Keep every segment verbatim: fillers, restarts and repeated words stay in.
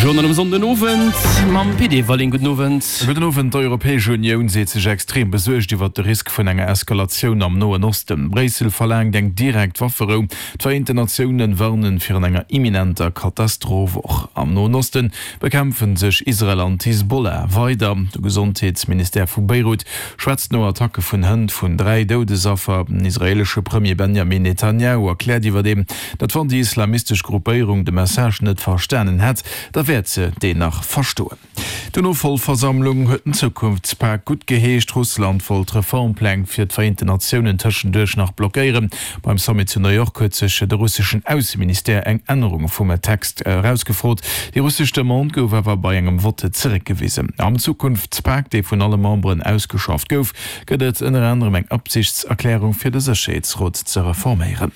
Journal um Sonndenowend mam Pit Everling. Gudden Owend. Gudden Owend. D'Europäesch Unioun seet sech extrem besuergt iwwert de Risk vun enger Eskalatioun am Noen Osten. Bréissel verlaangt eng direkt Wafferou. D'Vereenten Natiounen warnen virun enger imminenter Katastroph. Och am Noen Osten bekämpfen sech Israel an d'Hisbollah weider. De Gesondheetsministère vu Beirut schwätzt no Attacke vun Hënt vun dräi Doudesaffer. Den israeelesche Premier Benjamin Netanjahu erkläert iwwerdeem, datt wann déi islamistesch Gruppéierung de Message net verstanen hätt, da wäert se deen nach verstoen. D'UNO-Vollversammlung huet den Zukunftspak guttgeheescht. Russland wollt d'Reformpläng fir d'Vereenten Natiounen tëschenduerch nach blockéieren. Beim Sommet zu New York huet sech de russeschen Ausseministère eng Ännerung vum Text erausgefrot. Déi russesch Demande gouf awer bei engem Votte zeréckgewisen. Am Zukunftspak, dee vun alle Memberen ausgeschafft gouf, gëtt et ënner anerem eng Absichtserklärung fir de Sécherheetsrot ze reforméieren.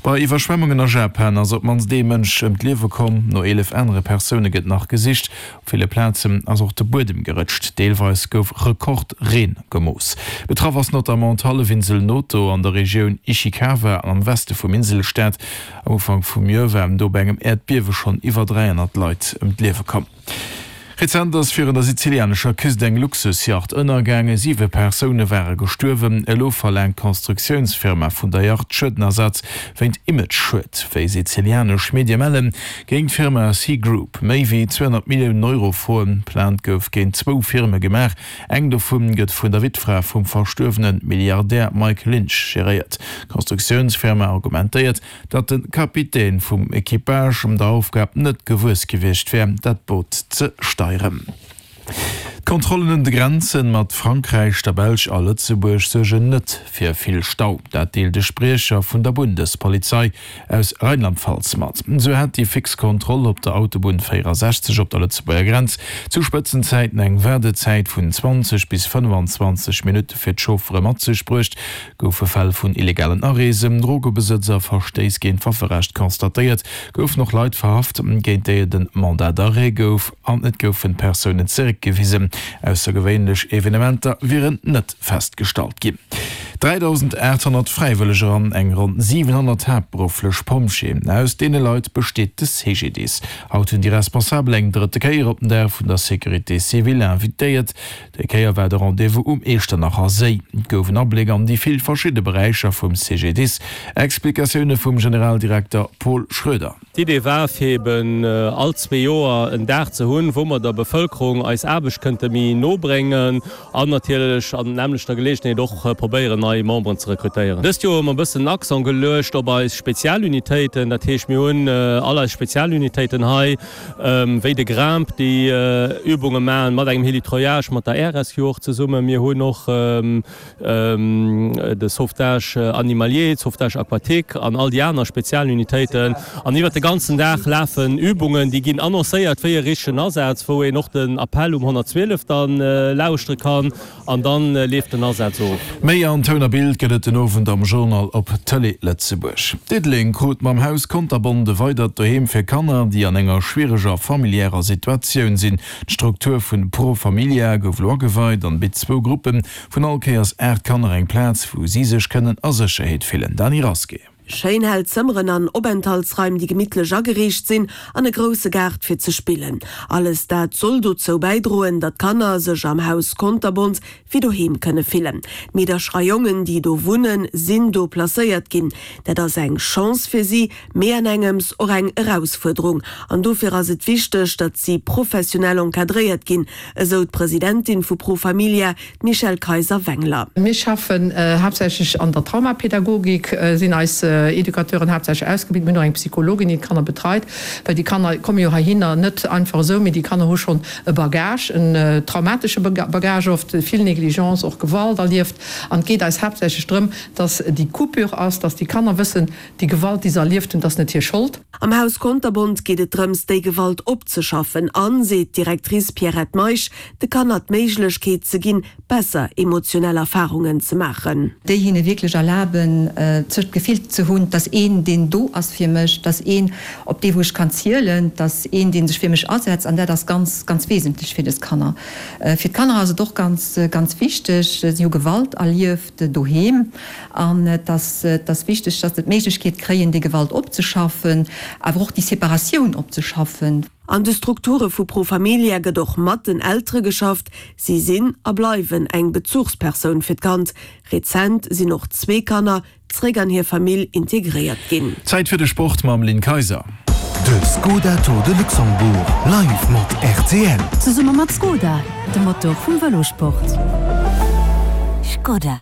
Bei Iwwerschwemmungen a Japan ass op d'mannst ee Mënsch ëm d'Liewe komm, no eelef anere Persoune gëtt nach gesicht. Op ville Plazen ass och de Buedem gerëtscht, deelweis gouf Rekordreen gemooss. Betraff ass notamment d'Hallefinsel Noto an der Regioun Ishikawa am Weste vum Inselstaat. Am Ufank vum Joer waren do bei engem Äerdbiewe schonn iwwer dräihonnert Leit ëm d'Liewe komm. Rezent ass virun der sizilianescher Küst eng Luxusjacht ënnergaangen. Siwe Persoune ware gestuerwen. Elo verlaangt d'Konstruktiounsfirma vun der Yacht Schuedenersatz wéint Imageschued. Wéi sizilianesch Medie mellen, géing d'Firma Sea Group méi wéi zweehonnert Milliounen Euro froen. Plainte gouf géint zwou Firme gemaach. Eng dovu gëtt vun der Wittfra vum verstuerwene Milliardär Mike Lynch geréiert. D'Konstruktiounsfirma argumentéiert, datt de Kapitän vum Equipage der Aufgab net gewuess gewiescht wär, dat Boot ze steieren. D'Kontrollen un de Grenze mat Frankräich, der Belsch a Lëtzebuerg suergen net fir vill Stau. Dat deelt e Spriecher vun der Bundespolizei aus Rheinland-Pfalz mat. Esou hätt déi fix Kontroll op der Autobunn véierasechzeg op der Lëtzebuerger Grenz zu Spëtzenzäiten eng Waardezäit vun zwanzeg bis fënnefenzwanzeg Minutte fir d'Chauffere mat sech bruecht. Goufe Fäll vun illegalen Areesen, Drogebesëtz a Verstéiss géint d'Wafferecht constatéiert, goufen och Leit verhaft, géint déi et en Mandat d'arrêt gouf an et goufen Persounen zeréckgewisen. Aussergewéinlech Evenementer wieren net festgestallt ginn. dräidausendaathonnert Fräiwëlleger an eng ronn siwenhonnert haaptberufflech Pompjeeën, aus deene Leit besteet de C G D I S. Haut hunn déi Responsabel eng drëtte Kéier op den Dag vun der Sécurité civile invitéiert. Déi Kéier war de Rendez-vous um Iechternacher Séi. Et gouf en Abléck an déi vill verschidde Beräicher vum C G D I S. Explikatioune vum Generaldirekter Paul Schroeder. D'Idee war, fir eben all zwee Joer en Dag ze hunn, wou mer der Bevëlkerung eis Aarbecht kënnte méi no bréngen an natierlech an nämmlechter Geleegenheet och probéieren, nei Memberen ze rekrutéieren. Dëst Joer hu mer e bëssen den Accent geluecht op eis Spezialunitéiten. Dat heescht, mir hunn all eis Spezialunitéiten hei, wéi de Grimp, déi Übunge maachen mat engem Hélitreuillage, mat der Air Rescue och zesummen. Mir hunn och de Sauvetage animalier, d'Sauvetage aquatique an all déi aner Spezialunitéiten. An iwwert de ganzen Dag lafen Übungen, déi ginn annoncéiert wéi e richtegen Asaz, wou een och den Appell um honnertzwielef da lauschtere kann an da leeft den Asaz of. Méi an Toun a Bild gëtt et den Owend am Journal op Tëlee Lëtzebuerg. Diddeleng krut mam Haus Konterbont e weidert Doheem fir Kanner, déi an enger schwiereger familiärer Situatioun sinn. D'Struktur vun Pro Familia gouf elo ageweit an bitt zwou Gruppe vun all Kéiers aacht Kanner eng Plaz, wou si sech kënnen a Sécherheet fillen. Dany Rasqué. Schéin hell Zëmmeren an Openthaltsraim, déi gemittlech ageriicht sinn, an e grousse Gaart fir ze spillen. Alles dat soll dozou bäidroen, datt d'Kanner sech am Haus Konterbont wéi doheem kënne fillen. D'Meedercher a Jongen, déi do wunnen, sinn do placéiert ginn. Dat ass eng Chance fir si, mee an engems och eng Erausfuerderung. An dofir ass et wichteg, datt si professionell encadréiert ginn, esou d'Presidentin vu Pro Familia, d'Michèle Kayser-Wengler. Mir schaffen haaptsächlech an der Traumapädagogik, sinn eis Educateuren haaptsächlech ausgebilt. Mir hunn och eng Psychologin, déi d'Kanner betreit, well déi Kanner komme jo heihinner net einfach esou, mee déi Kanner hu schonn e Bagage, en traumatesche Bagage oft, vill Négligence, och Gewalt erlieft. An et geet eis haaptsächlech drëm, dass déi Coupure ass, dass déi Kanner wëssen, déi Gewalt, déi se erlieft hunn, dat ass net hir Schold. Am Haus Konterbont geet et drëms, déi Gewalt opzeschaffen an, seet d'Directrice Pierrette Meisch, de Kanner d'Méiglechkeet ze ginn, besser emotionell Erfarungen ze maachen. Déi hinne wierklech erlaben, sech d'Gefill ze ze hunn, 't ass een, deen do ass fir mech, 't ass een, op dee wou ech kann zielen, 't ass een, dee sech fir mech asetzt an dat ass ganz, ganz wesentlech fir dës Kanner. Fir d'Kanner ass et och ganz, ganz wichteg, si hu Gewalt erlieft doheem an et ass, et ass wichteg, dass se d'Méiglechkeet kréien, déi Gewalt opzeschaffen, awer och déi Separatioun opzeschaffen. An de Strukture vu Pro Familia gëtt och mat den Eltere geschafft. Si sinn a bleiwen eng Bezuchspersoun fir d'Kand. Rezent sinn och zwee Kanner zréck an hir Famill integréiert ginn. Zäit fir de Sport mam Lynn Kayser. De Skoda Tour de Luxembourg live mat rtl. Zesumme mat Skoda, dem Motor vum Vëlossport. Skoda.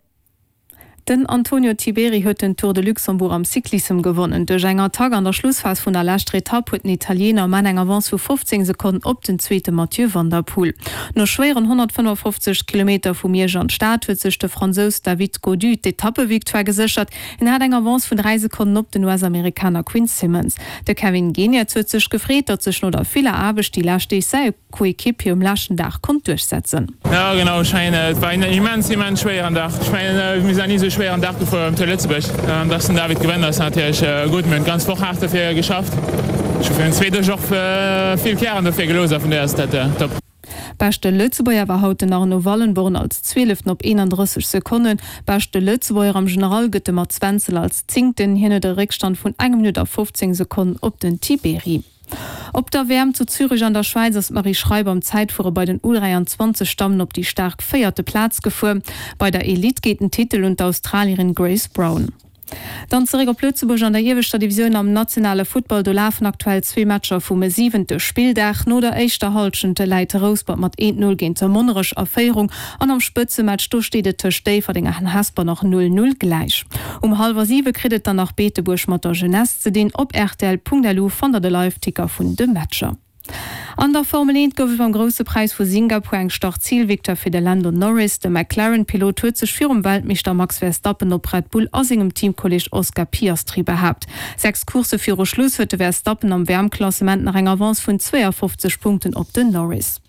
Den Antonio Tiberi huet den Tour de Luxembourg am Cyclissem gewonnen. Duerch eng Attack an der Schlussphas vun der leschter Etapp huet den Italiener um Enn eng Avance vu fofzéng Sekonnen op den Zweete Mathieu van der Poel. No schwéieren honnertfënnefofzeg Kilometer vu Miersch an d'Stad huet sech de Fransous David Gaudu d'Etappenvictoire geséchert. Hien hat eng Avance vun dräi Sekonnen op den U S-Amerikaner Quinn Simmons. De Kevin Geniets huet sech gefreet, datt sech no der viller Aarbecht déi lescht Deeg säi Coéquipier um leschten Dag konnt duerchsetzen. Jo genau, ech mengen et war en immens immens schwéieren Dag. Ech mengen mir sinn nach ni esou schwéieren Dag gefuer um Tour Lëtzebuerg. Dass den David gewënnt ass natierlech gutt. Mir hunn d'ganz Woch haart dofir geschafft. Ech hu virun zwee Deeg och vill Kären dofir gelooss a vun dohier ass dat top. Beschte Lëtzebuerger war haut den Arno Wallenborn als Zwieleften op eenandrësseg Sekonnen. Beschte Lëtzebuerger am General gëtt de Mats Wenzel als Zéngten. Hien huet e Réckstand vun enger Minutt a fofzéng Sekonnen op den Tiberi. Op der W M zu Zürich an der Schwäiz ass d'Marie Schreiber am Zäitfuere bei den U dräianzwanzeg Dammen op déi staark véierte Plaz gefuer. Bei der Elite geet den Titel un d'Australierin Grace Brown. Dann zeréck op Lëtzebuerg an der ieweschter Divisioun am nationale Futtball. Do lafen aktuell zwee Matcher vum siwente Spilldag. No der éischter Hallschent läit Rouspert mat eent Null géint Monnerech a Féierung an am Spëtzematch do steet et tëscht Déifferdeng an Hesper nach null Null gläich. Um hallwer siwe kritt et dann nach Beetebuerg mat der Jeunesse ze dinn. Op rtl.lu fannt der de Live-Ticker vun de Matcher. An der Formel eent gouf et beim Grousse Präis vu Singapur eng Start-Zil-Victoire fir de Lando Norris. De McLaren-Pilot huet sech virum Weltmeeschter Max Verstappen op Red Bull a sengem Teamkolleeg Oscar Piastri behaapt. Sechs Coursse viru Schluss huet de Verstappen am W M-Klassement nach eng Avance vun zweeafofzeg Punkten op den Norris.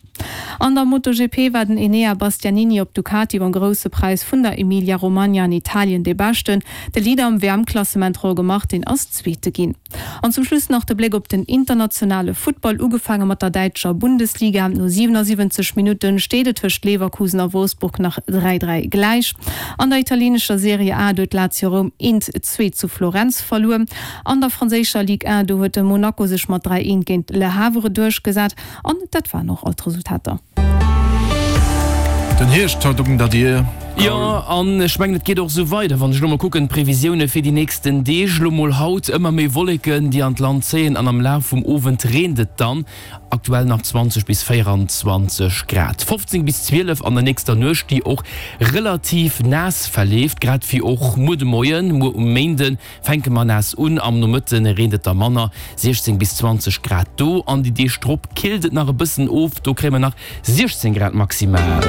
An der MotoGP war den Enea Bastianini op Ducati beim Grousse Präis vun der Emilia-Romagna an Italien dee Beschten. De Leader am W M-Klassement Jorge Martin ass Zweete ginn. An zum Schluss nach de Bléck op den internationale Futtball, ugefaange mat der däitscher Bundesliga. No siwenasiwwenzeg Minutte steet et tëscht Leverkusen a Wolfsburg nach dräi, dräi gläich. An der italienescher Serie A huet Lazio Roum eent, zwee zu Florenz verluer. An der franséischer Ligue un, do huet de Monaco sech mat dräi, eent géint Le Havre duerchgesat. An dat waren och all d'Resultater. Den Hierscht haut un der Dier. Jo, an ech mengen, et geet och esou weider. Wann ech elo mol kucken, d'Previsioune fir déi nächsten Deeg, elo mol haut ëmmer méi Wolleken, déi an d'Land zéien an am Laf vum Owend reent et dann. Aktuell nach zwanzeg bis véieranzwanzeg Grad, fofzéng bis zwielef an der nächster Nuecht, déi och relativ naass verleeft, grad wéi och muer de Moien. Muer um Méinde fänke mer naass un, am Nomëtte reent et da manner, siechzéng bis zwanzeg Grad do. An déi Deeg drop killt et nach e bëssen of, do kréie mer nach siechzéng Grad maximal.